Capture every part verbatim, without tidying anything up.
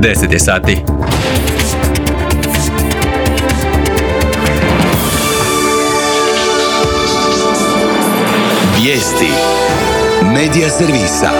deset je sati. Vijesti Medija servisa.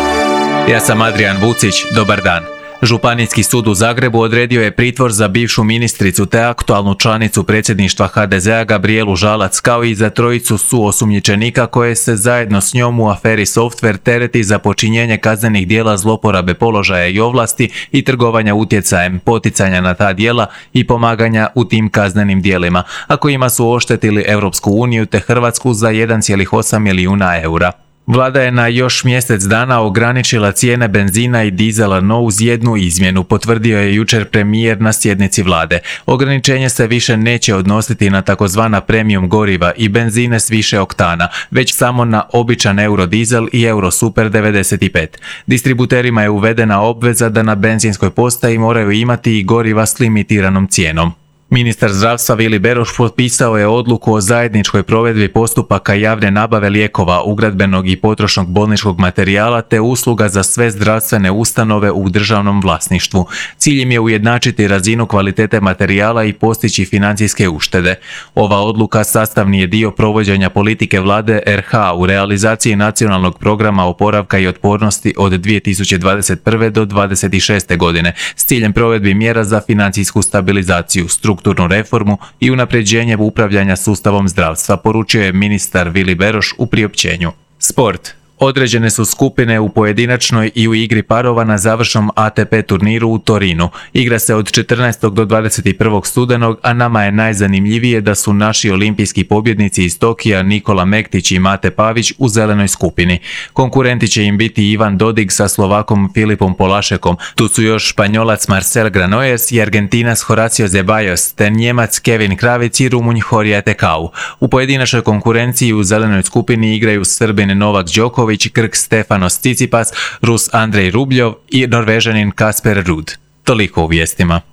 Ja sam Adrian Vucić, dobar dan. Županijski sud u Zagrebu odredio je pritvor za bivšu ministricu te aktualnu članicu predsjedništva ha de ze a Gabrijelu Žalac, kao i za trojicu suosumnjičenika koje se zajedno s njom u aferi Softver tereti za počinjenje kaznenih djela zloporabe položaja i ovlasti i trgovanja utjecajem, poticanja na ta djela i pomaganja u tim kaznenim djelima, a kojima su oštetili Europsku uniju te Hrvatsku za jedan zarez osam milijuna eura. Vlada je na još mjesec dana ograničila cijene benzina i dizela, no uz jednu izmjenu, potvrdio je jučer premijer na sjednici vlade. Ograničenje se više neće odnositi na takozvana premium goriva i benzine s više oktana, već samo na običan eurodizel i eurosuper devedeset pet. Distributerima je uvedena obveza da na benzinskoj postaji moraju imati i goriva s limitiranom cijenom. Ministar zdravstva Vili Beroš potpisao je odluku o zajedničkoj provedbi postupaka javne nabave lijekova, ugradbenog i potrošnog bolničkog materijala te usluga za sve zdravstvene ustanove u državnom vlasništvu. Cilj im je ujednačiti razinu kvalitete materijala i postići financijske uštede. Ova odluka sastavni je dio provođenja politike vlade er ha u realizaciji nacionalnog programa oporavka i otpornosti od dvije tisuće dvadeset prve do dvadeset šeste godine s ciljem provedbi mjera za financijsku stabilizaciju, strukturnu reformu i unapređenje upravljanja sustavom zdravstva, poručio je ministar Vili Beroš u priopćenju. Sport. Određene su skupine u pojedinačnoj i u igri parova na završnom a te pe turniru u Torinu. Igra se od četrnaestog do dvadeset prvog studenog, a nama je najzanimljivije da su naši olimpijski pobjednici iz Tokija Nikola Mektić i Mate Pavić u zelenoj skupini. Konkurenti će im biti Ivan Dodig sa Slovakom Filipom Polašekom. Tu su još Španjolac Marcel Granollers i Argentinac Horacio Zeballos, te Njemac Kevin Kravic i Rumunj Horia Tekau. U pojedinačnoj konkurenciji u zelenoj skupini igraju Srbin Novak Đoković, Grk Stefanos Tsitsipas, Rus Andrej Rubljov i Norvežanin Kasper Ruud. Toliko u vijestima.